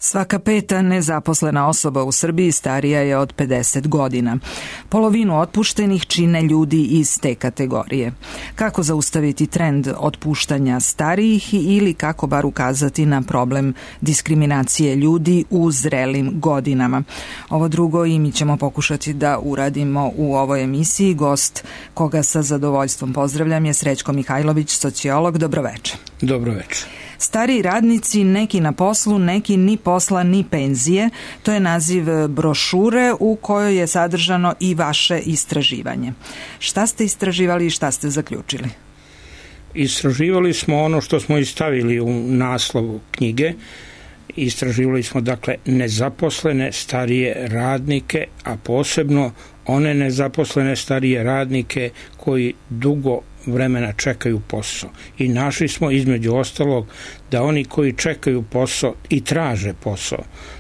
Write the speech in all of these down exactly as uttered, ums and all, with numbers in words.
Svaka peta nezaposlena osoba u Srbiji starija je od pedeset godina. Polovinu otpuštenih čine ljudi iz te kategorije. Kako zaustaviti trend otpuštanja starijih ili kako bar ukazati na problem diskriminacije ljudi u zrelim godinama? Ovo drugo i mi ćemo pokušati da uradimo u ovoj emisiji. Gost koga sa zadovoljstvom pozdravljam je Srećko Mihajlović, sociolog. Dobroveče. Dobroveče. Stariji radnici, neki na poslu, neki ni posla ni penzije. To je naziv brošure u kojoj je sadržano i vaše istraživanje. Šta ste istraživali i šta ste zaključili? Istraživali smo ono što smo i stavili u naslovu knjige. Istraživali smo, dakle, nezaposlene starije radnike, a posebno one nezaposlene starije radnike koji dugo vremena čekaju posao. I našli smo između ostalog da oni koji čekaju posao i traže posao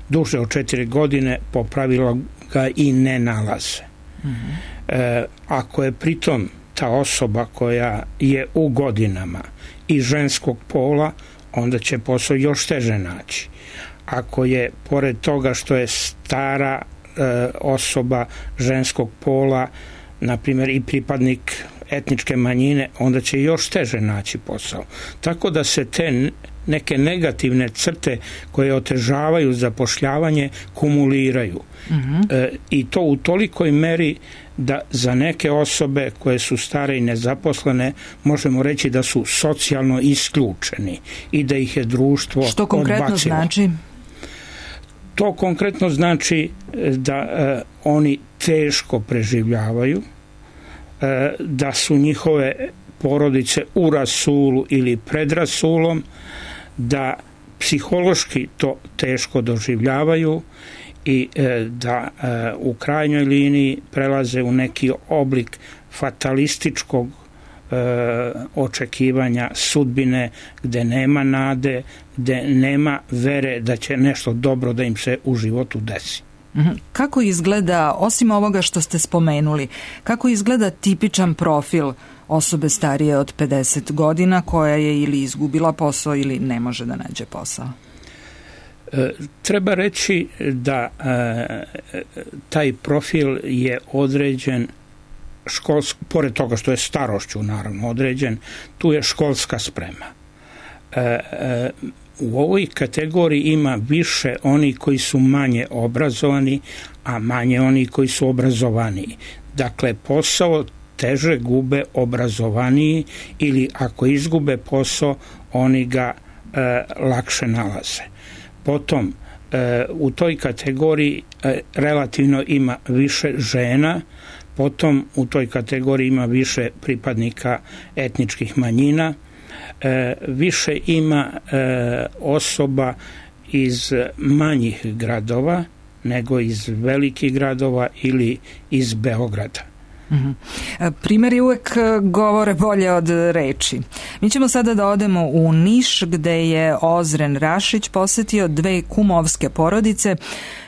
duže od četiri godine po pravilu ga i ne nalaze. Mm-hmm. E, ako je pritom ta osoba koja je u godinama i ženskog pola, onda će posao još teže naći. Ako je pored toga što je stara e, osoba ženskog pola, na primjer i pripadnik etničke manjine, onda će još teže naći posao. Tako da se te neke negativne crte koje otežavaju zapošljavanje kumuliraju. Mm-hmm. E, i to u tolikoj meri da za neke osobe koje su stare i nezaposlene možemo reći da su socijalno isključeni i da ih je društvo odbacilo. Što konkretno odbacilo. znači? To konkretno znači da e, oni teško preživljavaju, e, da su njihove porodice u rasulu ili pred rasulom, da psihološki to teško doživljavaju i e, da e, u krajnjoj liniji prelaze u neki oblik fatalističkog e, očekivanja sudbine, gde nema nade, gde nema vere da će nešto dobro da im se u životu desi. Kako izgleda, osim ovoga što ste spomenuli, kako izgleda tipičan profil osobe starije od pedeset godina koja je ili izgubila posao ili ne može da nađe posao? E, treba reći da e, taj profil je određen školsk, pored toga što je starošću naravno određen, tu je školska sprema. E, e, u ovoj kategoriji ima više oni koji su manje obrazovani, a manje oni koji su obrazovaniji. Dakle, posao teže gube obrazovaniji ili ako izgube posao, oni ga e, lakše nalaze. Potom, e, u toj kategoriji e, relativno ima više žena, potom u toj kategoriji ima više pripadnika etničkih manjina, e, više ima e, osoba iz manjih gradova nego iz velikih gradova ili iz Beograda. Mm-hmm. Primjeri uvek govore bolje od reči. Mi ćemo sada da odemo u Niš gde je Ozren Rašić posetio dve kumovske porodice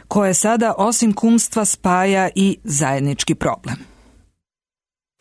koje sada osim kumstva spaja i zajednički problem.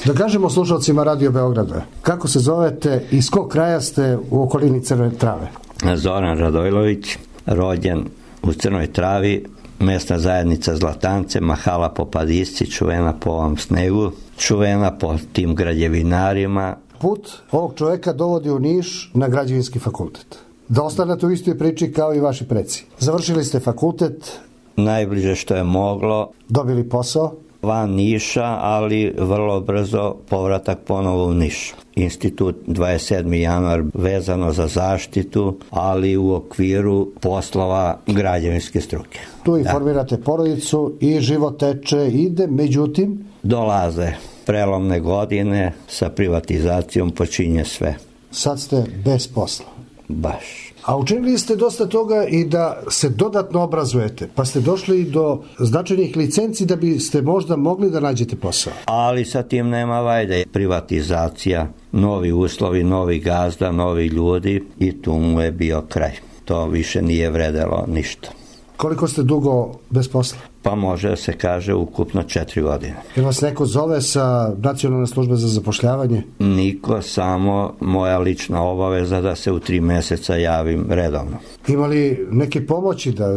Da kažemo slušalcima Radio Beograda, kako se zovete i iz kog kraja ste u okolini Crne Trave? Zoran Radojlović, rođen u Crnoj Travi, mesna zajednica Zlatance, mahala po Padisci, čuvena po ovom snegu, čuvena po tim građevinarima. Put ovog čoveka dovodi u Niš na građevinski fakultet. Da ostanete u istoj priči kao i vaši preci. Završili ste fakultet. Najbliže što je moglo. Dobili posao. Van Niša, ali vrlo brzo povratak ponovo u Niš. Institut dvadeset sedmi januar vezano za zaštitu, ali u okviru poslova građevinske struke. Tu i da. Formirate porodicu i život teče, ide, međutim... Dolaze prelomne godine, sa privatizacijom počinje sve. Sad ste bez posla. Baš. A učinili ste dosta toga i da se dodatno obrazujete, pa ste došli do značajnih licenci da biste možda mogli da nađete posao. Ali sa tim nema vajde. Privatizacija, novi uslovi, novi gazda, novi ljudi i tu mu je bio kraj. To više nije vredelo ništa. Koliko ste dugo bez posla? Pa može da se kaže ukupno četiri godine. Jer vas neko zove sa Nacionalne službe za zapošljavanje? Niko, samo moja lična obaveza da se u tri meseca javim redovno. Ima li neke pomoći da,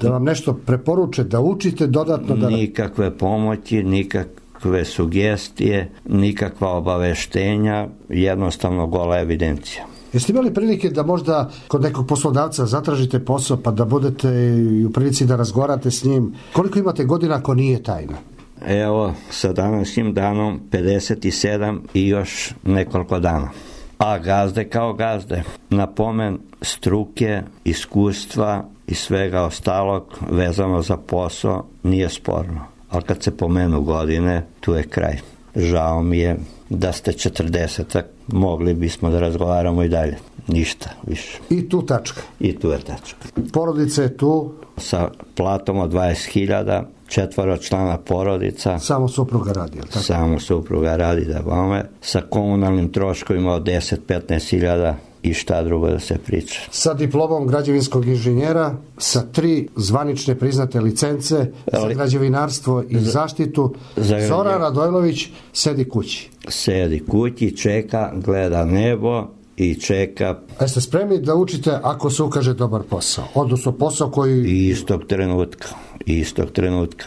da vam nešto preporuče, da učite dodatno? Da... Nikakve pomoći, nikakve sugestije, nikakva obaveštenja, jednostavno gola evidencija. Jeste imali prilike da možda kod nekog poslodavca zatražite posao pa da budete i u prilici da razgovarate s njim? Koliko imate godina ako nije tajna? Evo, sa današnjim danom pedeset sedam i još nekoliko dana. A gazde kao gazde. Na pomen struke, iskustva i svega ostalog vezano za posao nije sporno. Ali kad se pomenu godine, tu je kraj. Žao mi je da ste četrdesetak, mogli bismo da razgovaramo i dalje. Ništa više. I tu tačka. I tu je tačka. Porodica je tu? Sa platom od dvadeset hiljada, četvoro člana porodica. Samo supruga radi, je li tako? Samo supruga radi, da bome. Sa komunalnim troškovima od deset do petnaest hiljada i šta drugo da se priča. Sa diplomom građevinskog inženjera, sa tri zvanične priznate licence za građevinarstvo i za, zaštitu, za Zoran Radojlović sedi kući. Sedi kući, čeka, gleda nebo i čeka. A jeste spremni da učite ako se ukaže dobar posao? Odnosno posao koji... Istog trenutka, istog trenutka.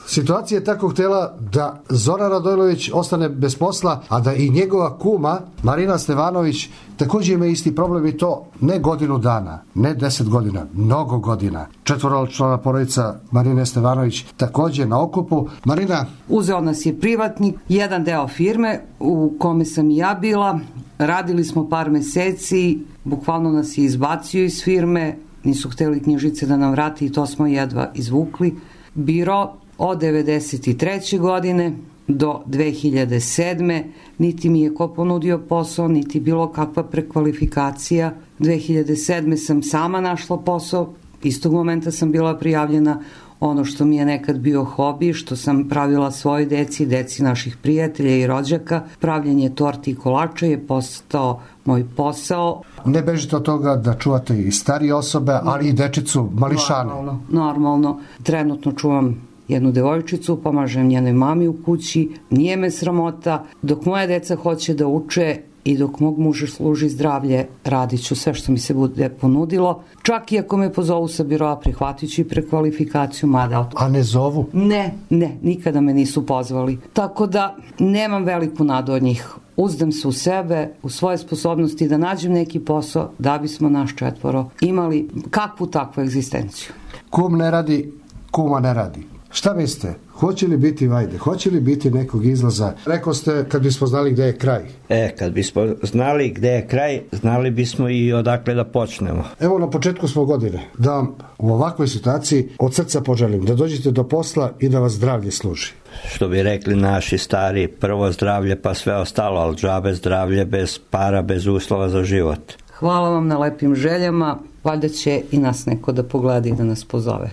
Situacija je tako htjela da Zoran Radojlović ostane bez posla, a da i njegova kuma Marina Stevanović također ima isti problem, i to ne godinu dana, ne deset godina, mnogo godina. Četvoročlana porodica Marine Stevanović također na okupu. Marina? Uzeo nas je privatnik, jedan deo firme u kome sam i ja bila. Radili smo par meseci, bukvalno nas je izbacio iz firme, nisu htjeli knjižice da nam vrati i to smo jedva izvukli. Biro od devedeset treće godine do dve hiljade sedme niti mi je ko ponudio posao, niti bilo kakva prekvalifikacija. dve hiljade sedme sam sama našla posao, istog momenta sam bila prijavljena. Ono što mi je nekad bio hobi, što sam pravila svoj deci, deci naših prijatelja i rođaka, pravljenje torti i kolača je postao moj posao. Ne bežite od toga da čuvate i starije osobe, ali i dečicu, mališane. Normalno, normalno. Trenutno čuvam jednu devojčicu, pomažem njenoj mami u kući, nije me sramota. Dok moja deca hoće da uče i dok mog muža služi zdravlje, radit ću sve što mi se bude ponudilo. Čak i ako me pozovu sa biroa, prihvatit ću i prekvalifikaciju, mada... A ne zovu? Ne, ne, nikada me nisu pozvali. Tako da nemam veliku nadu od njih. Uzdam se u sebe, u svoje sposobnosti da nađem neki posao da bismo naš četvoro imali kakvu takvu egzistenciju. Kum ne radi, kuma ne radi. Šta mislite? Hoće li biti vajde? Hoće li biti nekog izlaza? Rekao ste kad bismo znali gde je kraj. E, kad bismo znali gde je kraj, znali bismo i odakle da počnemo. Evo, na početku smo godine. Da vam u ovakvoj situaciji od srca poželim da dođete do posla i da vas zdravlje služi. Što bi rekli naši stari, prvo zdravlje pa sve ostalo, ali džabe zdravlje bez para, bez uslova za život. Hvala vam na lepim željama. Valjda će i nas neko da pogleda i da nas pozove.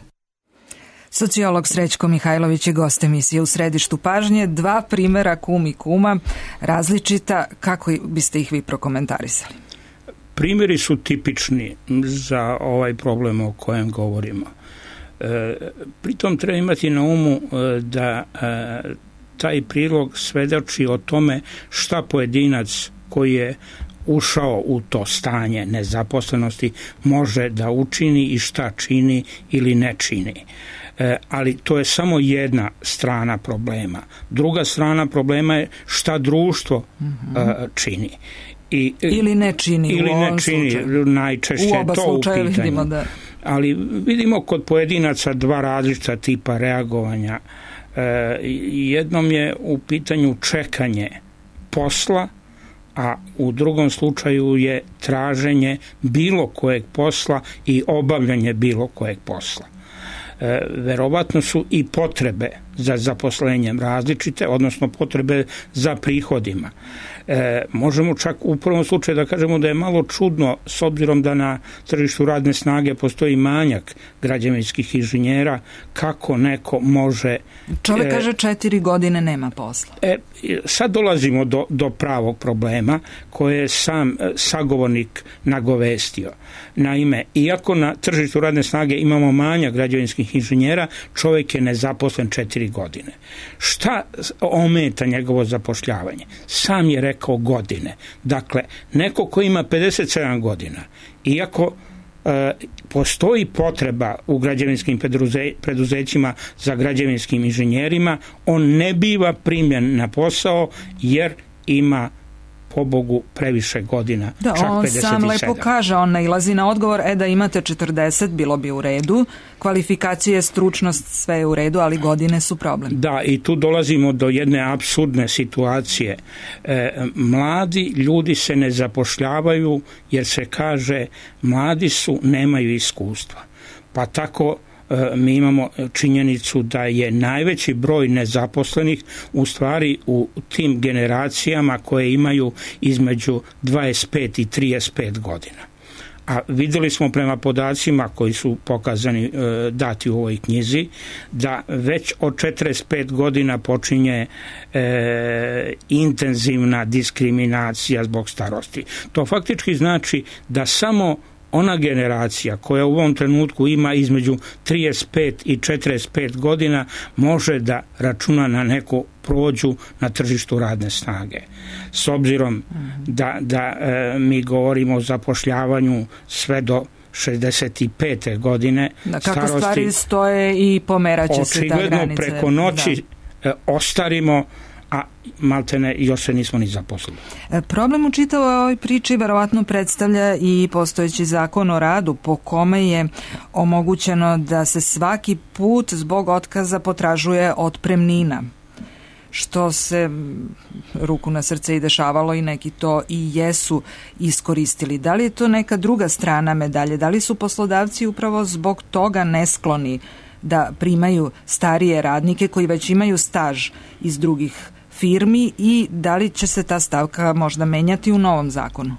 Sociolog Srećko Mihajlović je gost emisije U središtu pažnje. Dva primjera kum i kuma, različita. Kako biste ih vi prokomentarisali? Primjeri su tipični za ovaj problem o kojem govorimo. E, pritom treba imati na umu e, da e, taj prilog svedoči o tome šta pojedinac koji je ušao u to stanje nezaposlenosti može da učini i šta čini ili ne čini. E, ali to je samo jedna strana problema. Druga strana problema je šta društvo mm-hmm. e, čini. I, ili ne čini ili u ne čini, slučaju. Najčešće u oba to slučaja u pitanju. Vidimo da... Ali vidimo kod pojedinaca dva različita tipa reagovanja. E, jednom je u pitanju čekanje posla, a u drugom slučaju je traženje bilo kojeg posla i obavljanje bilo kojeg posla. E, verovatno su i potrebe za zaposlenjem različite, odnosno potrebe za prihodima. E, možemo čak u prvom slučaju da kažemo da je malo čudno, s obzirom da na tržištu radne snage postoji manjak građevinskih inženjera, kako neko može... Čovjek e, kaže četiri godine nema posla. E, sad dolazimo do, do pravog problema koje je sam sagovornik nagovestio. Naime, iako na tržištu radne snage imamo manjak građevinskih inženjera, čovjek je nezaposlen četiri godine. Šta ometa njegovo zapošljavanje? Sam je rekao godine. Dakle, neko ko ima pedeset sedam godina, iako e, postoji potreba u građevinskim preduze, preduzećima za građevinskim inženjerima, on ne biva primljen na posao jer ima pobogu previše godina, da, čak on pedeset sedam. Sam lepo kaže, on nailazi na odgovor, e da imate četrdeset, bilo bi u redu, kvalifikacije, stručnost, sve je u redu, ali godine su problem. Da, i tu dolazimo do jedne apsurdne situacije. E, mladi ljudi se ne zapošljavaju jer se kaže mladi su, nemaju iskustva. Pa tako mi imamo činjenicu da je najveći broj nezaposlenih u stvari u tim generacijama koje imaju između dvadeset pet i trideset pet godina. A vidjeli smo prema podacima koji su pokazani, dati u ovoj knjizi, da već od četrdeset pet godina počinje e, intenzivna diskriminacija zbog starosti. To faktički znači da samo ona generacija koja u ovom trenutku ima između trideset pet i četrdeset pet godina može da računa na neku prođu na tržištu radne snage. S obzirom da, da e, mi govorimo o zapošljavanju sve do šezdeset pete godine da, kako starosti, stvari stoje i pomeraće se ta granica. Očigledno preko noći da. ostarimo, a maltene još se nismo ni zaposlili. Problem u čitavoj ovoj priči verovatno predstavlja i postojeći zakon o radu po kome je omogućeno da se svaki put zbog otkaza potražuje otpremnina, što se ruku na srce i dešavalo i neki to i jesu iskoristili. Da li je to neka druga strana medalje? Da li su poslodavci upravo zbog toga neskloni da primaju starije radnike koji već imaju staž iz drugih firmi i da li će se ta stavka možda menjati u novom zakonu?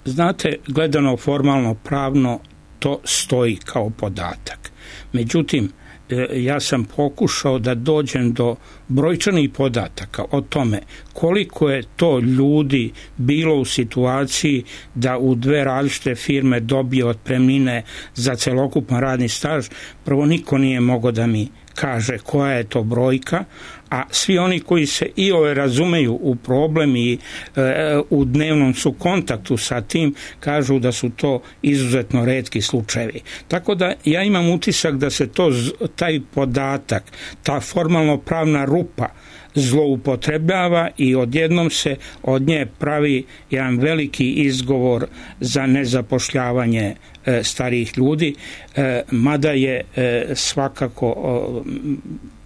Znate, gledano formalno pravno to stoji kao podatak. Međutim, ja sam pokušao da dođem do brojčanih podataka o tome koliko je to ljudi bilo u situaciji da u dve različite firme dobije otpremnine za celokupan radni staž. Prvo, niko nije mogao da mi kaže koja je to brojka, a svi oni koji se i ove razumeju u problem i e, u dnevnom su kontaktu sa tim, kažu da su to izuzetno retki slučajevi. Tako da ja imam utisak da se to, taj podatak, ta formalno pravna rupa zloupotrebljava i odjednom se od nje pravi jedan veliki izgovor za nezapošljavanje e, starijih ljudi, e, mada je e, svakako o,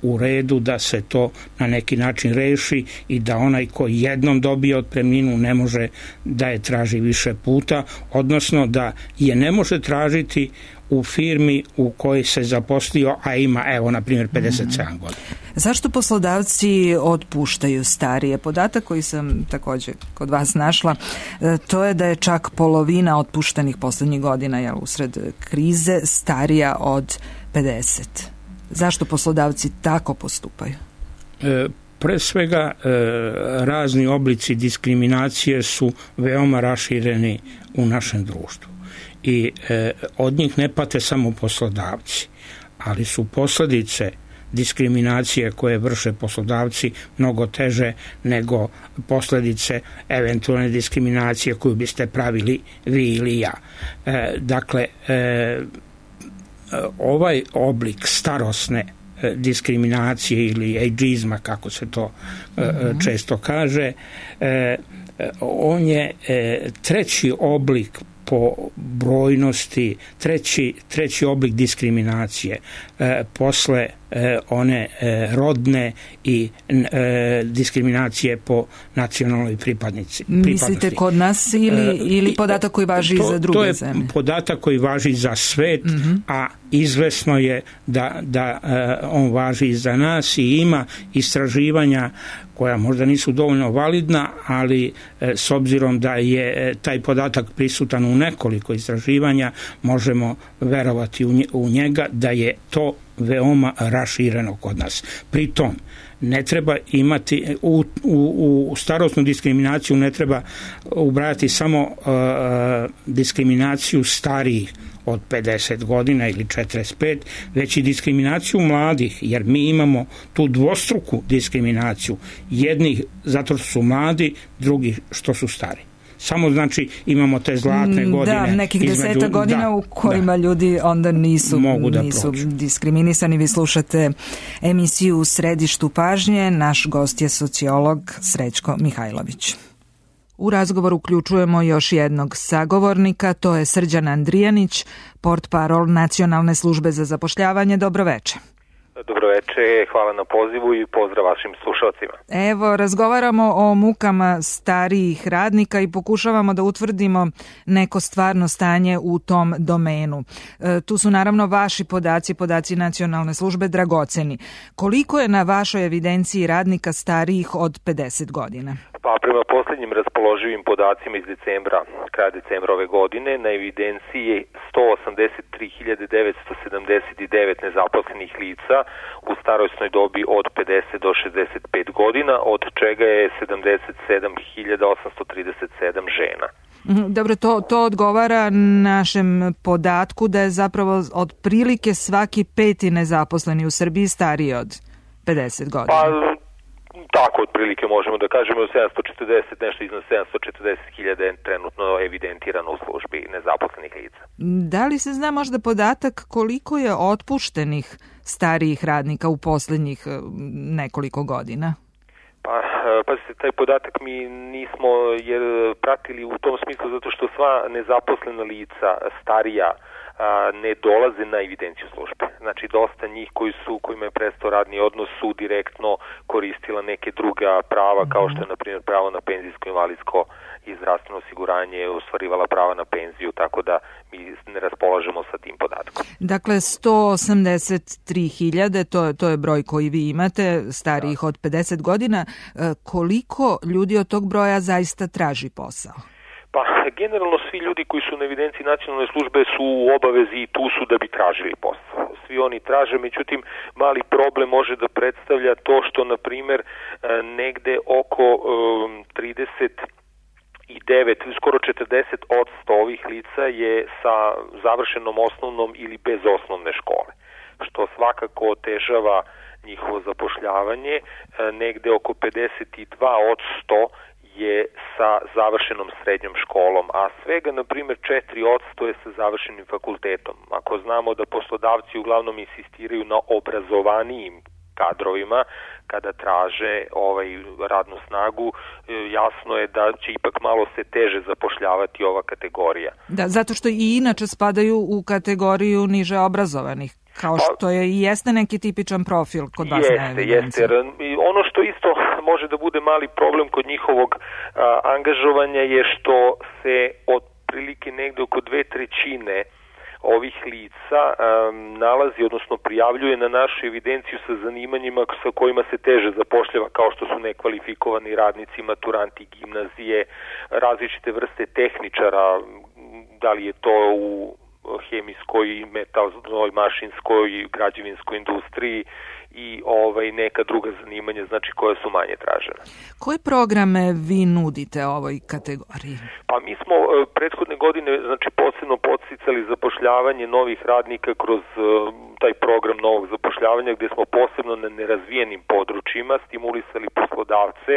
u redu da se to na neki način reši i da onaj ko jednom dobije otpremninu ne može da je traži više puta, odnosno da je ne može tražiti u firmi u kojoj se zaposlio, a ima, evo, na primjer, pedeset sedam godina. Zašto poslodavci otpuštaju starije? Podatak koji sam također kod vas našla, to je da je čak polovina otpuštenih posljednjih godina, jel, usred krize, starija od pedeset. Zašto poslodavci tako postupaju? E, pre svega, e, razni oblici diskriminacije su veoma rašireni u našem društvu. I e, od njih ne pate samo poslodavci, ali su posljedice diskriminacije koje vrše poslodavci mnogo teže nego posljedice eventualne diskriminacije koju biste pravili vi ili ja. E, dakle, e, ovaj oblik starosne e, diskriminacije ili ageizma, kako se to e, mm-hmm. često kaže, e, on je e, treći oblik po brojnosti, treći, treći oblik diskriminacije e, posle e, one e, rodne i e, diskriminacije po nacionalnoj pripadnici. Mislite kod nas ili, e, ili podatak koji važi to, za druge zemlje? zemlje? To je podatak koji važi za svet, mm-hmm. a izvesno je da, da e, on važi i za nas i ima istraživanja koja možda nisu dovoljno validna, ali e, s obzirom da je e, taj podatak prisutan u nekoliko istraživanja, možemo verovati u, nje, u njega da je to veoma rašireno kod nas. Pritom, ne treba imati u, u, u starosnu diskriminaciju ne treba ubrajati samo uh, diskriminaciju starijih od pedeset godina ili četrdeset pet, već i diskriminaciju mladih, jer mi imamo tu dvostruku diskriminaciju. Jednih zato što su mladi, drugih što su stari. Samo znači imamo te zlatne godine. Da, nekih između, deseta godina da, u kojima da, ljudi onda nisu, nisu diskriminisani. Vi slušate emisiju U središtu pažnje. Naš gost je sociolog Srećko Mihajlović. U razgovor uključujemo još jednog sagovornika, to je Srđan Andrijanić, portparol Nacionalne službe za zapošljavanje. Dobroveče. Dobroveče, hvala na pozivu i pozdrav vašim slušalcima. Evo, razgovaramo o mukama starijih radnika i pokušavamo da utvrdimo neko stvarno stanje u tom domenu. E, tu su naravno vaši podaci, podaci Nacionalne službe dragoceni. Koliko je na vašoj evidenciji radnika starijih od pedeset godina? Pa prema posljednjim raspoloživim podacima iz decembra, kraja decembra ove godine, na evidenciji je sto osamdeset tri hiljade devetsto sedamdeset devet nezaposlenih lica u starosnoj dobi od pedeset do šezdeset pet godina, od čega je sedamdeset sedam hiljada osamsto trideset sedam žena. Dobro, to, to odgovara našem podatku da je zapravo otprilike svaki peti nezaposleni u Srbiji stariji od pedeset godina. Pa, tako otprilike možemo da kažemo sedamsto četrdeset, nešto iznad sedamsto četrdeset hiljada je trenutno evidentirano u službi nezaposlenih lica. Da li se zna možda podatak koliko je otpuštenih starijih radnika u posljednjih nekoliko godina? Pa, pa se taj podatak mi nismo jer pratili u tom smislu zato što sva nezaposlena lica starija ne dolaze na evidenciju službe. Znači, dosta njih koji su, kojima je prestao radni odnos su direktno koristila neke druga prava, kao što je, na primjer, pravo na penzijsko, invalidsko i zdravstveno osiguranje, ostvarivala prava na penziju, tako da mi ne raspolažemo sa tim podatkom. Dakle, sto osamdeset tri hiljade, to, to je broj koji vi imate, starijih da. od pedeset godina. Koliko ljudi od tog broja zaista traži posao? Pa, generalno svi ljudi koji su na evidenciji nacionalne službe su u obavezi i tu su da bi tražili posao. Svi oni traže, međutim, mali problem može da predstavlja to što, na primjer, negde oko um, trideset i devet, skoro četrdeset odsto ovih lica je sa završenom osnovnom ili bez osnovne škole, što svakako otežava njihovo zapošljavanje. Negde oko pedeset dva odsto je sa završenom srednjom školom, a svega, na primjer, četiri odsto je sa završenim fakultetom. Ako znamo da poslodavci uglavnom insistiraju na obrazovanijim kadrovima kada traže ovaj radnu snagu, jasno je da će ipak malo se teže zapošljavati ova kategorija. Da, zato što i inače spadaju u kategoriju niže obrazovanih, kao što je i jeste neki tipičan profil kod vas na evidenciji. Jeste, jeste. Ono što isto može da bude mali problem kod njihovog a, angažovanja je što se otprilike negde oko dve trećine ovih lica um, nalazi, odnosno prijavljuje na našu evidenciju sa zanimanjima sa kojima se teže zapošljava, kao što su nekvalifikovani radnici, maturanti gimnazije, različite vrste tehničara, da li je to u hemijskoj, metalnoj, mašinskoj, građevinskoj industriji i ovaj neka druga zanimanja, znači koja su manje tražena. Koje programe vi nudite ovoj kategoriji? Pa mi smo prethodne godine, znači, posebno podsticali zapošljavanje novih radnika kroz uh, taj program novog zapošljavanja, gdje smo posebno na nerazvijenim područjima stimulisali poslodavce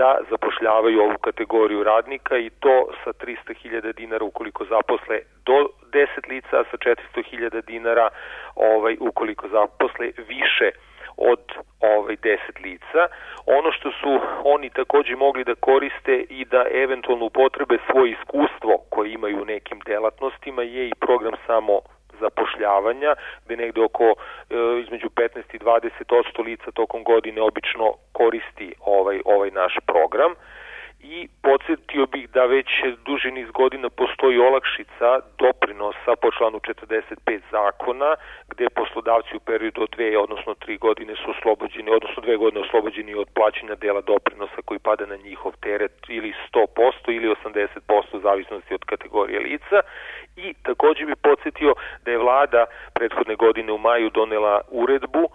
da zapošljavaju ovu kategoriju radnika i to sa tristo hiljada dinara ukoliko zaposle do deset lica, a sa četiristo hiljada dinara ovaj, ukoliko zaposle više od ovaj deset lica. Ono što su oni također mogli da koriste i da eventualno upotrebe svoje iskustvo koje imaju u nekim delatnostima je i program samo zapošljavanja, gde negde oko e, između petnaest i dvadeset posto lica tokom godine obično koristi ovaj, ovaj naš program. I podsjetio bih da već duži niz godina postoji olakšica doprinosa po članu četrdeset pet zakona, gde poslodavci u periodu od dve, odnosno tri godine su oslobođeni, odnosno dve godine oslobođeni od plaćanja dela doprinosa koji pada na njihov teret ili sto posto ili osamdeset posto u zavisnosti od kategorije lica. I takođe bih podsjetio da je vlada prethodne godine u maju donela uredbu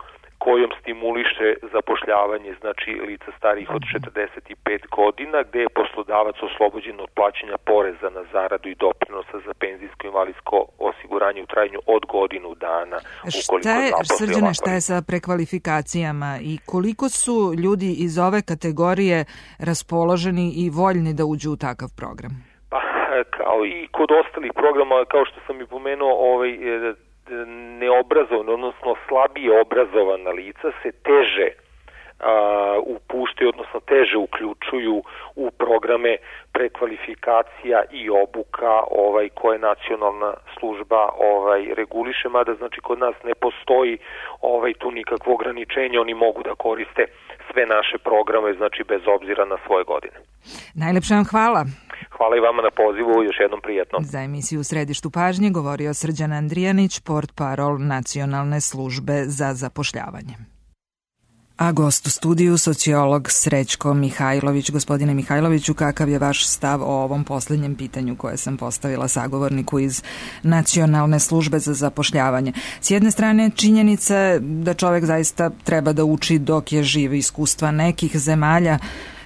kojom stimuliše zapošljavanje, znači lica starijih od četrdeset pet godina, gde je poslodavac oslobođen od plaćanja poreza na zaradu i doprinosa za penzijsko i invalidsko osiguranje u trajanju od godinu dana. Šta je, Srđane, šta je sa prekvalifikacijama i koliko su ljudi iz ove kategorije raspoloženi i voljni da uđu u takav program? Pa, kao i kod ostalih programa, kao što sam i pomenuo, ovaj, neobrazovana, odnosno slabije obrazovana lica se teže a, upuštaju, odnosno teže uključuju u programe prekvalifikacija i obuka ovaj, koje nacionalna služba ovaj, reguliše, mada znači kod nas ne postoji ovaj, tu nikakvo ograničenje, oni mogu da koriste sve naše programe, znači bez obzira na svoje godine. Najlepše vam hvala. Hvala i vama na pozivu, još jednom prijetno. Za emisiju U središtu pažnje govorio Srđan Andrijanić, portparol Nacionalne službe za zapošljavanje. A gost u studiju, sociolog Srećko Mihajlović. Gospodine Mihajloviću, kakav je vaš stav o ovom posljednjem pitanju koje sam postavila sagovorniku iz Nacionalne službe za zapošljavanje? S jedne strane, činjenica je da čovek zaista treba da uči dok je živ. Iskustva nekih zemalja,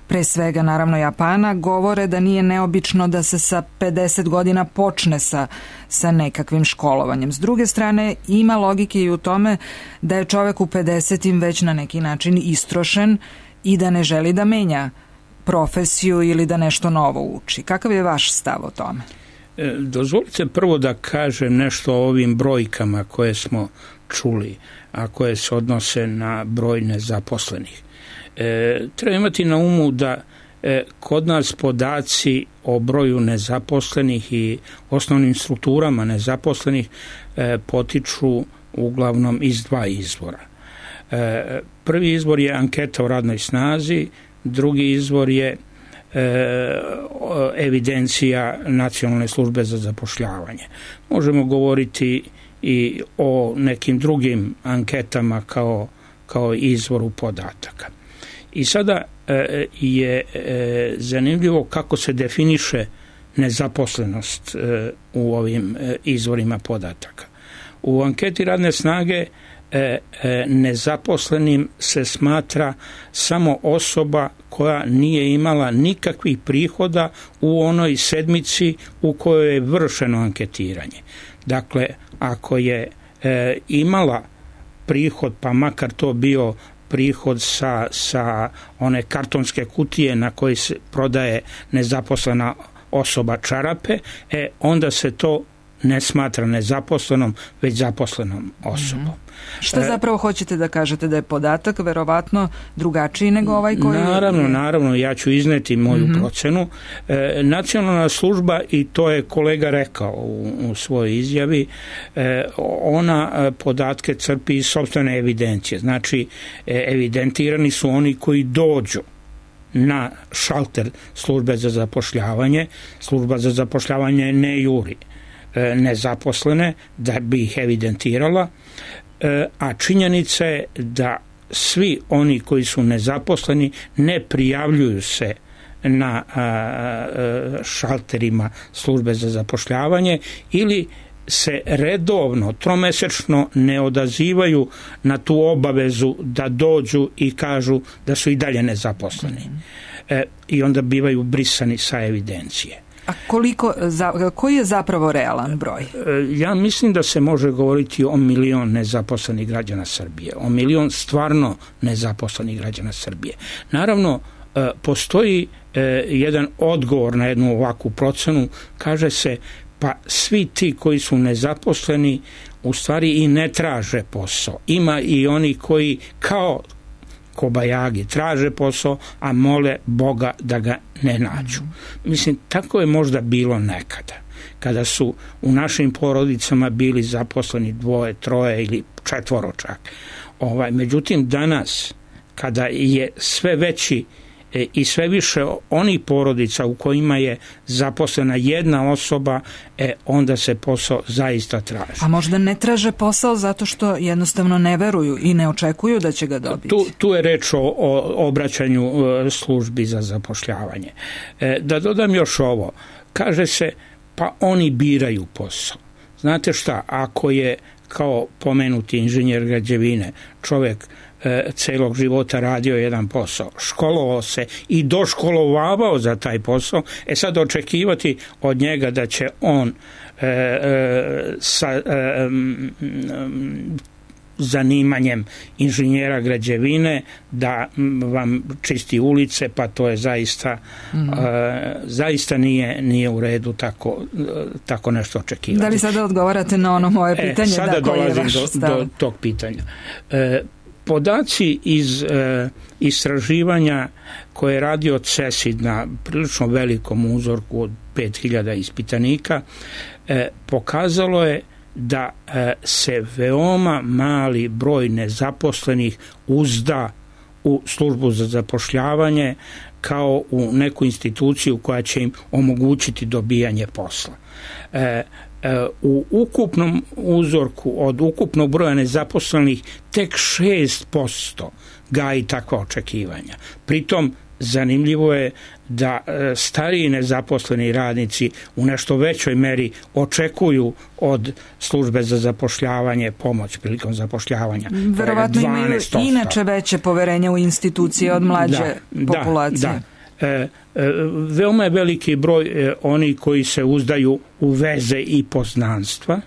pre svega naravno Japana, govore da nije neobično da se sa pedeset godina počne sa, sa nekakvim školovanjem. S druge strane, ima logike i u tome da je čovek u pedesetim već na neki način istrošen i da ne želi da menja profesiju ili da nešto novo uči. Kakav je vaš stav o tome? E, dozvolite prvo da kažem nešto o ovim brojkama koje smo čuli, a koje se odnose na broj nezaposlenih. E, treba imati na umu da e, kod nas podaci o broju nezaposlenih i osnovnim strukturama nezaposlenih e, potiču uglavnom iz dva izvora. E, prvi izvor je anketa o radnoj snazi, drugi izvor je e, evidencija Nacionalne službe za zapošljavanje. Možemo govoriti i o nekim drugim anketama kao, kao izvoru podataka. I sada e, je e, zanimljivo kako se definiše nezaposlenost e, u ovim e, izvorima podataka. U anketi radne snage e, e, nezaposlenim se smatra samo osoba koja nije imala nikakvih prihoda u onoj sedmici u kojoj je vršeno anketiranje. Dakle, ako je e, imala prihod, pa makar to bio prihod sa, sa one kartonske kutije na koji se prodaje nezaposlena osoba čarape, e, onda se to ne smatra nezaposlenom, već zaposlenom osobom. Mm-hmm. Što zapravo hoćete da kažete, da je podatak verovatno drugačiji nego ovaj koji... Naravno, je... naravno, ja ću izneti moju mm-hmm. procenu. E, nacionalna služba, i to je kolega rekao u, u svojoj izjavi, e, ona podatke crpi iz sopstvene evidencije. Znači, e, evidentirani su oni koji dođu na šalter službe za zapošljavanje. Služba za zapošljavanje ne juri e, nezaposlene da bi ih evidentirala, a činjenica je da svi oni koji su nezaposleni ne prijavljuju se na šalterima službe za zapošljavanje ili se redovno, tromesečno ne odazivaju na tu obavezu da dođu i kažu da su i dalje nezaposleni. E, i onda bivaju brisani sa evidencije. A koliko, za, koji je zapravo realan broj? Ja mislim da se može govoriti o milion nezaposlenih građana Srbije, o milion stvarno nezaposlenih građana Srbije. Naravno, postoji jedan odgovor na jednu ovakvu procenu, kaže se, pa svi ti koji su nezaposleni u stvari i ne traže posao. Ima i oni koji kao kobajagi traže posao, a mole Boga da ga ne nađu. Mislim, tako je možda bilo nekada. kada su u našim porodicama bili zaposleni dvoje, troje ili četvoro čak. Ovaj, međutim, danas, kada je sve veći i sve više onih porodica u kojima je zaposlena jedna osoba, e, onda se posao zaista traži. A možda ne traže posao zato što jednostavno ne veruju i ne očekuju da će ga dobiti? Tu, tu je reč o, o obraćanju službi za zapošljavanje. E, da dodam još ovo, kaže se pa oni biraju posao. Znate šta, ako je kao pomenuti inženjer građevine čovjek celog života radio jedan posao, školovao se i doškolovavao za taj posao, e sad očekivati od njega da će on e, e, sa e, m, zanimanjem inženjera građevine da vam čisti ulice, pa to je zaista mm. e, zaista nije, nije u redu tako, tako nešto očekivati. Da li sada odgovarate na ono moje pitanje? E, sada da, dolazim do, do tog pitanja. E, Podaci iz e, istraživanja koje je radio CESID na prilično velikom uzorku od pet hiljada ispitanika e, pokazalo je da e, se veoma mali broj nezaposlenih uzda u službu za zapošljavanje kao u neku instituciju koja će im omogućiti dobijanje posla. E, u ukupnom uzorku od ukupnog broja nezaposlenih tek šest posto gaji takva očekivanja. Pritom zanimljivo je da stariji nezaposleni radnici u nešto većoj meri očekuju od službe za zapošljavanje pomoć prilikom zapošljavanja. Verovatno imaju inače veće poverenje u institucije od mlađe da, populacije. Da, da. E, e, veoma je veliki broj e, oni koji se uzdaju u veze i poznanstva,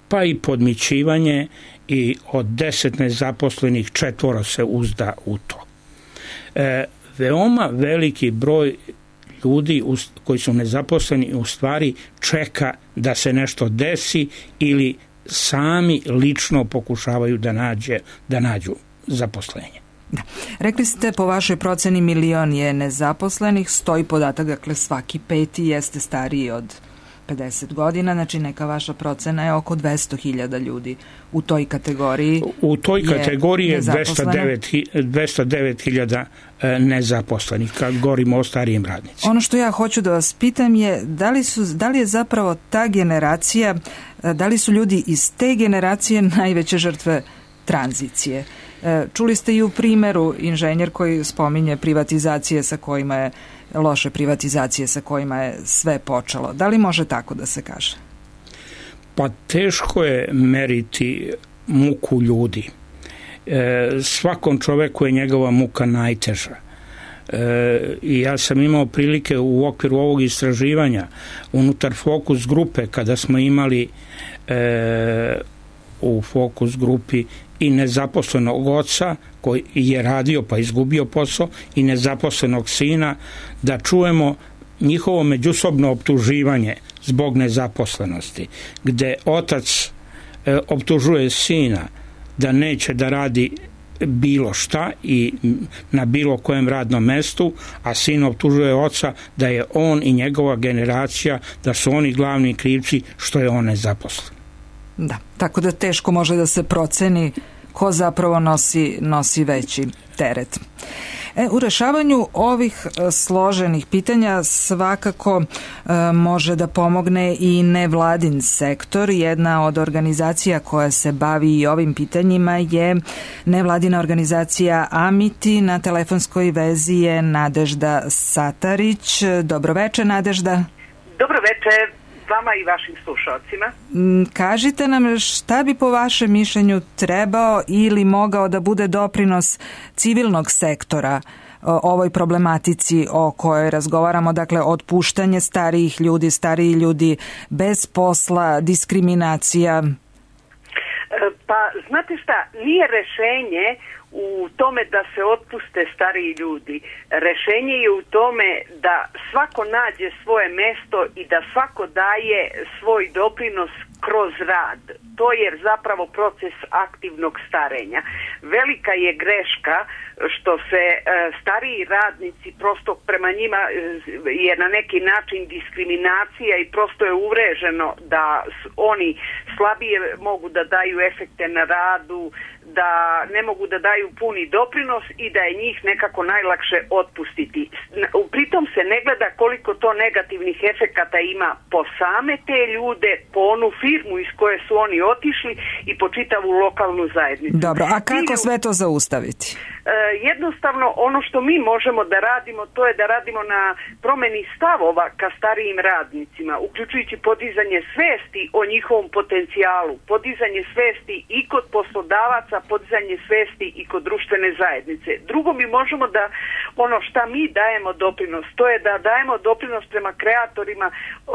pa i podmićivanje, i od deset nezaposlenih četvoro se uzda u to. E, veoma veliki broj ljudi u, koji su nezaposleni u stvari čeka da se nešto desi ili sami lično pokušavaju da, nađe, da nađu zaposlenje. Da. Rekli ste, po vašoj proceni milion je nezaposlenih, stoji podatak, dakle svaki peti jeste stariji od pedeset godina, znači neka vaša procena je oko dvesta hiljada ljudi u toj kategoriji. U toj kategoriji je dvesta devet hiljada nezaposlenih, kad govorimo o starijim radnicima. Ono što ja hoću da vas pitam je, da li, su, da li je zapravo ta generacija, da li su ljudi iz te generacije najveće žrtve tranzicije? Čuli ste i u primjeru inženjer koji spominje privatizacije sa kojima je, loše privatizacije sa kojima je sve počelo. Da li može tako da se kaže? Pa teško je meriti muku ljudi. E, svakom čoveku je njegova muka najteža. E, i ja sam imao prilike u okviru ovog istraživanja unutar fokus grupe, kada smo imali e, u fokus grupi i nezaposlenog oca koji je radio pa izgubio posao i nezaposlenog sina, da čujemo njihovo međusobno optuživanje zbog nezaposlenosti, gde otac e, optužuje sina da neće da radi bilo šta i na bilo kojem radnom mestu, a sin optužuje oca da je on i njegova generacija, da su oni glavni krivci što je on nezaposlen. Da, tako da teško može da se proceni ko zapravo nosi, nosi veći teret. E, u rešavanju ovih složenih pitanja svakako e, može da pomogne i nevladin sektor. Jedna od organizacija koja se bavi i ovim pitanjima je nevladina organizacija Amiti. Na telefonskoj vezi je Nadežda Satarić. Dobroveče, Nadežda. Dobroveče vama i vašim slušalcima. Kažite nam šta bi po vašem mišljenju trebao ili mogao da bude doprinos civilnog sektora ovoj problematici o kojoj razgovaramo, dakle otpuštanje starijih ljudi, stariji ljudi bez posla, diskriminacija? Pa znate šta, nije rešenje u tome da se otpuste stariji ljudi. Rešenje je u tome da svako nađe svoje mesto i da svako daje svoj doprinos kroz rad. To je zapravo proces aktivnog starenja. Velika je greška što se e, stariji radnici, prosto prema njima e, je na neki način diskriminacija i prosto je uvreženo da oni slabije mogu da daju efekte na radu, da ne mogu da daju puni doprinos i da je njih nekako najlakše otpustiti. Pritom se ne gleda koliko to negativnih efekata ima po same te ljude, po onu firmu iz koje su oni otišli i po čitavu lokalnu zajednicu. Dobro, a kako sve to zaustaviti? Jednostavno ono što mi možemo da radimo, to je da radimo na promeni stavova ka starijim radnicima, uključujući podizanje svesti o njihovom potencijalu, podizanje svesti i kod poslodavaca, podizanje svesti i kod društvene zajednice. Drugo, mi možemo da ono šta mi dajemo doprinos, to je da dajemo doprinos prema kreatorima uh,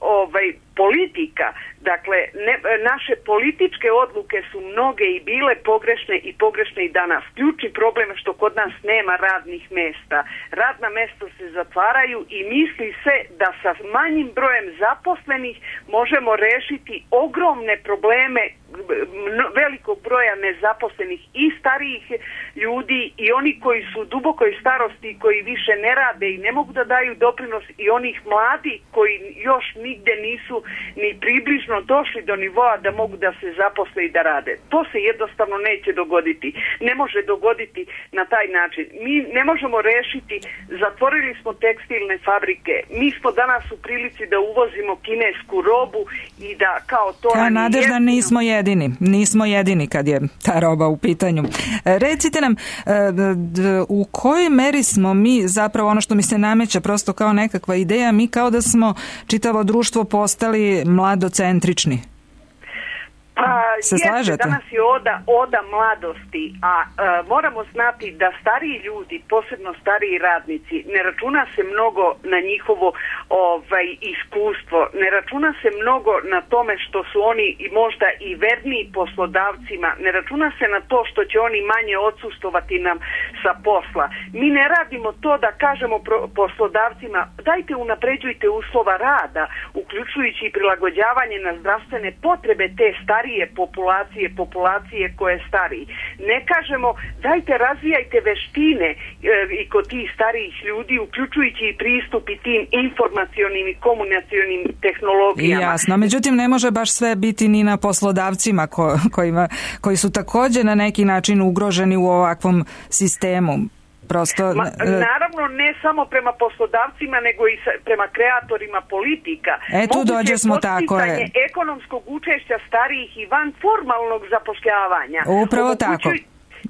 ovaj politika. Dakle, ne, naše političke odluke su mnoge i bile pogrešne i pogrešne i danas. Ključni problem je što kod nas nema radnih mesta. Radna mesta se zatvaraju i misli se da sa manjim brojem zaposlenih možemo rešiti ogromne probleme velikog broja nezaposlenih i starijih ljudi i oni koji su u dubokoj starosti, koji više ne rade i ne mogu da daju doprinos, i onih mladi koji još nigde nisu ni približno došli do nivoa da mogu da se zaposle i da rade. To se jednostavno neće dogoditi. Ne može dogoditi na taj način. Mi ne možemo rešiti, zatvorili smo tekstilne fabrike, mi smo danas u prilici da uvozimo kinesku robu i da kao to... A Nadežda, nismo jedini. Nismo jedini kad je ta roba u pitanju. Recite nam, u kojoj meri smo mi, zapravo ono što mi se nameće prosto kao nekakva ideja, mi kao da smo čitavo društvo postali mladocentrični? Pa, se slažete? Danas je oda, oda mladosti, a e, moramo znati da stariji ljudi, posebno stariji radnici, ne računa se mnogo na njihovo ovaj, iskustvo, ne računa se mnogo na tome što su oni možda i verniji poslodavcima, ne računa se na to što će oni manje odsustovati nam sa posla. Mi ne radimo to da kažemo pro, poslodavcima dajte unapređujte uslova rada, uključujući i prilagođavanje na zdravstvene potrebe te starije populacije, populacije koje je stariji. Ne kažemo dajte razvijajte veštine e, i kod tih starijih ljudi, uključujući i pristup i tim informacionim i komunikacionim tehnologijama. Jasno, međutim ne može baš sve biti ni na poslodavcima ko, kojima, koji su također na neki način ugroženi u ovakvom sistemu. Prosto, Ma, naravno ne samo prema poslodavcima nego i sa, prema kreatorima politika. E tu dođe smo tako je. Ekonomskog učešća starijih i van formalnog zapošljavanja. Upravo tako.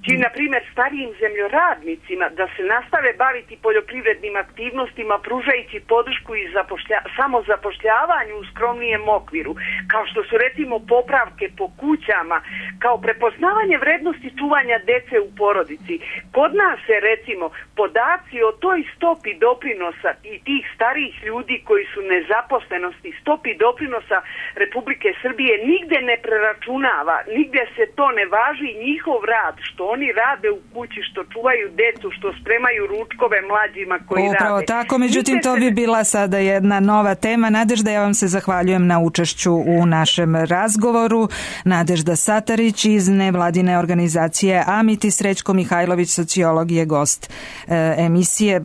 Či, na primjer, starijim zemljoradnicima da se nastave baviti poljoprivrednim aktivnostima, pružajući podršku i zapošlja, samozapošljavanju u skromnijem okviru, kao što su recimo popravke po kućama, kao prepoznavanje vrednosti čuvanja dece u porodici. Kod nas se recimo podaci o toj stopi doprinosa i tih starijih ljudi koji su nezaposlenosti, stopi doprinosa Republike Srbije nigde ne preračunava, nigde se to ne važi, njihov rad, što oni rade u kući, što čuvaju decu, što spremaju ručkove mlađima koji Upravo rade. Upravo tako, međutim to bi bila sada jedna nova tema. Nadežda, ja vam se zahvaljujem na učešću u našem razgovoru. Nadežda Satarić iz nevladine organizacije Amiti, Srećko Mihajlović, sociolog, je gost e, emisije. E,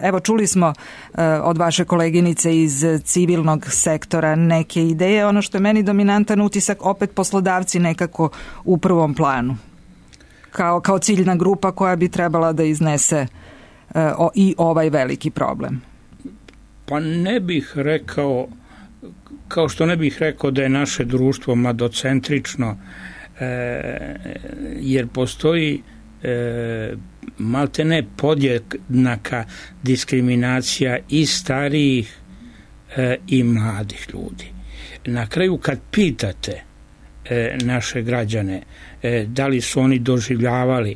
evo, čuli smo e, od vaše koleginice iz civilnog sektora neke ideje. Ono što je meni dominantan utisak, opet poslodavci nekako u prvom planu. Kao, kao ciljna grupa koja bi trebala da iznese e, o, i ovaj veliki problem? Pa ne bih rekao, kao što ne bih rekao da je naše društvo mladocentrično, e, jer postoji e, maltene podjednaka diskriminacija i starijih e, i mladih ljudi. Na kraju kad pitate e, naše građane e, da li su oni doživljavali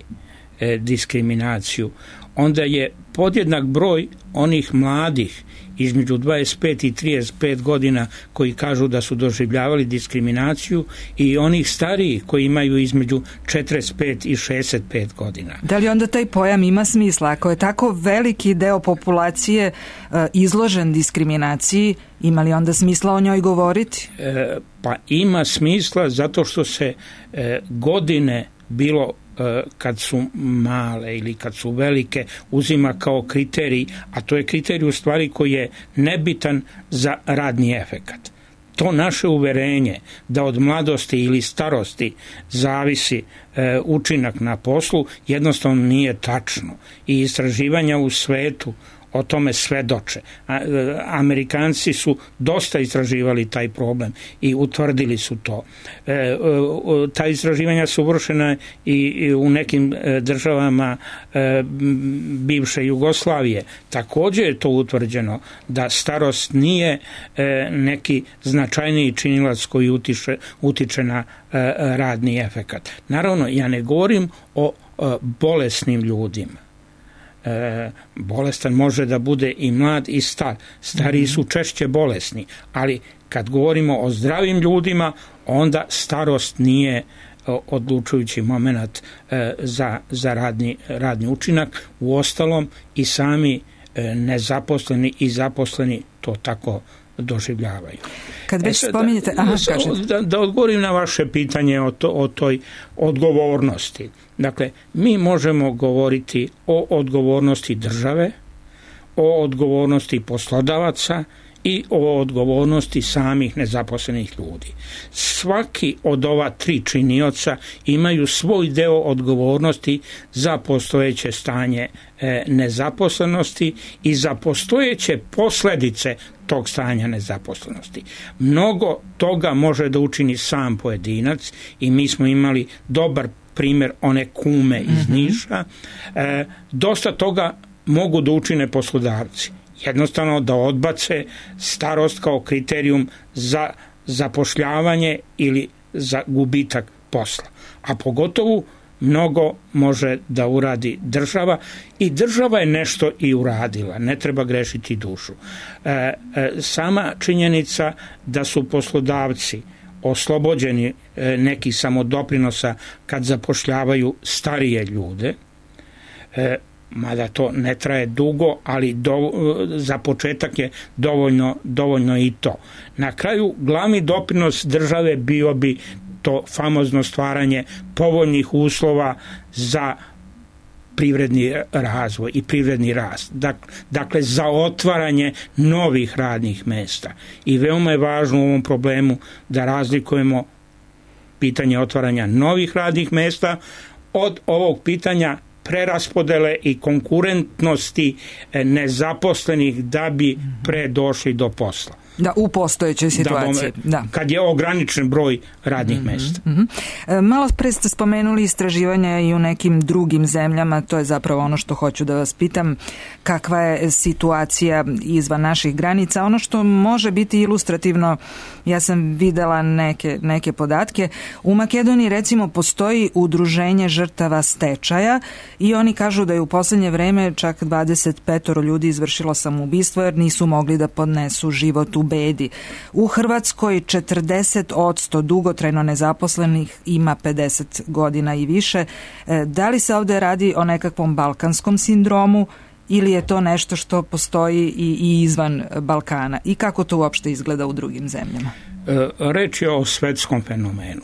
e, diskriminaciju, onda je podjednak broj onih mladih između dvadeset pet i trideset pet godina koji kažu da su doživljavali diskriminaciju i onih starijih koji imaju između četrdeset pet i šezdeset pet godina. Da li onda taj pojam ima smisla? Ako je tako veliki deo populacije e, izložen diskriminaciji, ima li onda smisla o njoj govoriti? E, pa ima smisla zato što se e, godine bilo kad su male ili kad su velike uzima kao kriterij, a to je kriterij u stvari koji je nebitan za radni efekat. To naše uverenje da od mladosti ili starosti zavisi e, učinak na poslu jednostavno nije tačno i istraživanja u svetu o tome svedoče. Amerikanci su dosta istraživali taj problem i utvrdili su to. E, ta istraživanja su vršena i u nekim državama e, bivše Jugoslavije. Također je to utvrđeno da starost nije e, neki značajniji činilac koji utiče, utiče na e, radni efekat. Naravno, ja ne govorim o e, bolesnim ljudima. E, bolestan može da bude i mlad i star. Stariji su češće bolesni, ali kad govorimo o zdravim ljudima, onda starost nije odlučujući moment e, za, za radni, radni učinak. Uostalom i sami e, nezaposleni i zaposleni to tako doživljavaju. Kad već e, spominjete... Aha, da, da, da odgovorim na vaše pitanje o, to, o toj odgovornosti. Dakle, mi možemo govoriti o odgovornosti države, o odgovornosti poslodavaca i o odgovornosti samih nezaposlenih ljudi. Svaki od ova tri činioca imaju svoj deo odgovornosti za postojeće stanje e, nezaposlenosti i za postojeće posljedice tog stanja nezaposlenosti. Mnogo toga može da učini sam pojedinac i mi smo imali dobar primjer one kume iz Niša. E, dosta toga mogu da učine poslodavci. Jednostavno da odbace starost kao kriterijum za zapošljavanje ili za gubitak posla. A pogotovo mnogo može da uradi država i država je nešto i uradila, ne treba grešiti dušu. E, e, sama činjenica da su poslodavci oslobođeni e, nekih samodoprinosa kad zapošljavaju starije ljude, e, mada to ne traje dugo, ali do, za početak je dovoljno, dovoljno i to. Na kraju glavni doprinos države bio bi to famozno stvaranje povoljnih uslova za privredni razvoj i privredni rast. Dakle, za otvaranje novih radnih mesta. I veoma je važno u ovom problemu da razlikujemo pitanje otvaranja novih radnih mesta od ovog pitanja preraspodele i konkurentnosti nezaposlenih da bi pre došli do posla. Da, u postojećoj situaciji. Da, da. Kad je ograničen broj radnih mm-hmm, mesta. Mm-hmm. Malo pre ste spomenuli istraživanja i u nekim drugim zemljama, to je zapravo ono što hoću da vas pitam, kakva je situacija izvan naših granica. Ono što može biti ilustrativno, ja sam videla neke, neke podatke, u Makedoniji recimo postoji udruženje žrtava stečaja i oni kažu da je u poslednje vreme čak dvadeset pet ljudi izvršilo samoubistvo jer nisu mogli da podnesu život u bedi. U Hrvatskoj četrdeset posto dugotrajno nezaposlenih ima pedeset godina i više. Da li se ovdje radi o nekakvom balkanskom sindromu ili je to nešto što postoji i, i izvan Balkana? I kako to uopšte izgleda u drugim zemljama? Reč je o svetskom fenomenu.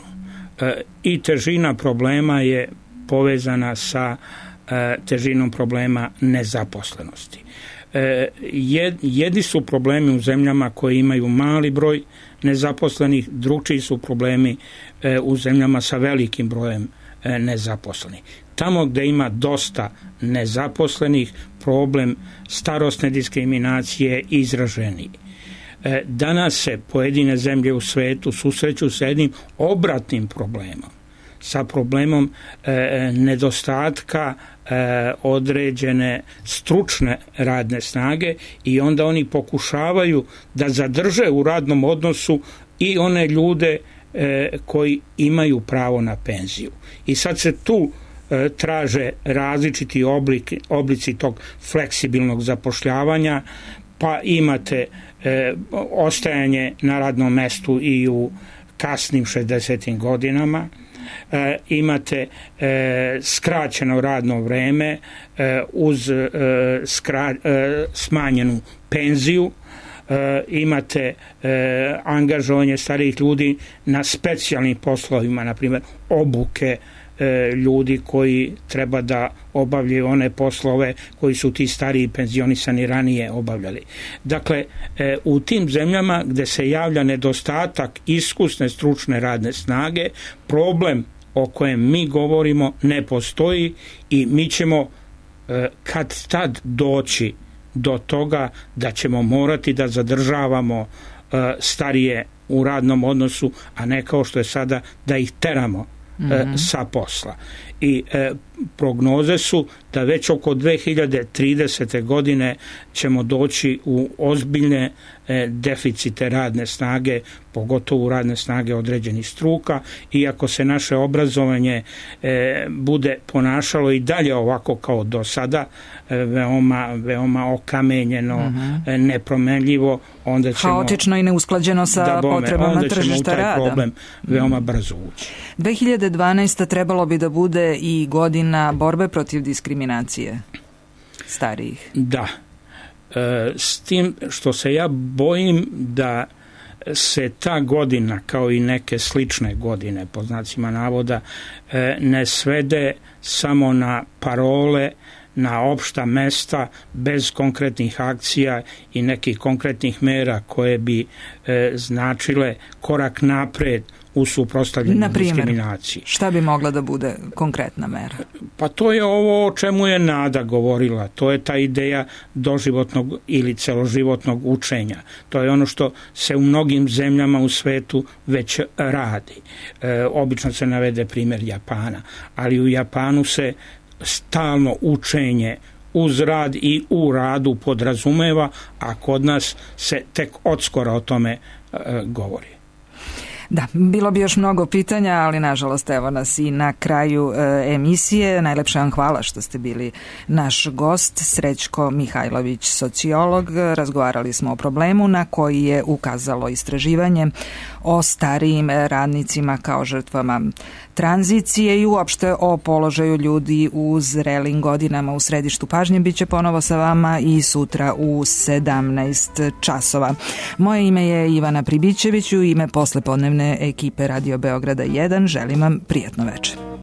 I težina problema je povezana sa težinom problema nezaposlenosti. Jedni su problemi u zemljama koje imaju mali broj nezaposlenih, drugčiji su problemi u zemljama sa velikim brojem nezaposlenih. Tamo gdje ima dosta nezaposlenih, problem starosne diskriminacije izraženiji. Danas se pojedine zemlje u svetu susreću sa jednim obratnim problemom, sa problemom e, nedostatka e, određene stručne radne snage i onda oni pokušavaju da zadrže u radnom odnosu i one ljude e, koji imaju pravo na penziju. I sad se tu e, traže različiti oblik, oblici tog fleksibilnog zapošljavanja, pa imate e, ostajanje na radnom mestu i u kasnim šezdesetim godinama, e, imate e, skraćeno radno vreme e, uz e, skra, e, smanjenu penziju, e, imate e, angažovanje starijih ljudi na specijalnim poslovima, na primjer obuke e, ljudi koji treba da obavljaju one poslove koji su ti stariji penzionisani ranije obavljali. Dakle, e, u tim zemljama gde se javlja nedostatak iskusne stručne radne snage, problem o kojem mi govorimo ne postoji i mi ćemo e, kad tad doći do toga da ćemo morati da zadržavamo e, starije u radnom odnosu, a ne kao što je sada da ih teramo mm-hmm. e, sa posla. I e, prognoze su da već oko dve hiljade tridesete godine ćemo doći u ozbiljne e, deficite radne snage, pogotovo radne snage određenih struka, iako se naše obrazovanje e, bude ponašalo i dalje ovako kao do sada, e, veoma, veoma okamenjeno, mm-hmm. e, nepromenljivo, onda ćemo... Haotično i neusklađeno sa da bome, potrebama tržišta rada. Onda ćemo u taj problem veoma brzo ući. dve hiljade dvanaesta trebalo bi da bude i godina borbe protiv diskriminacije starijih. Da. E, s tim što se ja bojim da se ta godina, kao i neke slične godine, po znacima navoda, e, ne svede samo na parole, na opšta mesta, bez konkretnih akcija i nekih konkretnih mera koje bi e, značile korak napred u suprotstavljanju diskriminaciji. Šta bi mogla da bude konkretna mera? Pa to je ovo o čemu je Nada govorila. To je ta ideja doživotnog ili celoživotnog učenja. To je ono što se u mnogim zemljama u svetu već radi. E, obično se navede primjer Japana, ali u Japanu se stalno učenje uz rad i u radu podrazumeva, a kod nas se tek odskora o tome e, govori. Da, bilo bi još mnogo pitanja, ali nažalost evo nas i na kraju e, emisije. Najlepše vam hvala što ste bili naš gost, Srećko Mihajlović, sociolog. Razgovarali smo o problemu na koji je ukazalo istraživanje o starijim radnicima kao žrtvama tranzicije i uopšte o položaju ljudi u zrelim godinama. U središtu pažnje biće ponovo sa vama i sutra u sedamnaest časova. Moje ime je Ivana Pribićević, u ime poslepodnevne ekipe Radio Beograda jedan želim vam prijatno večer.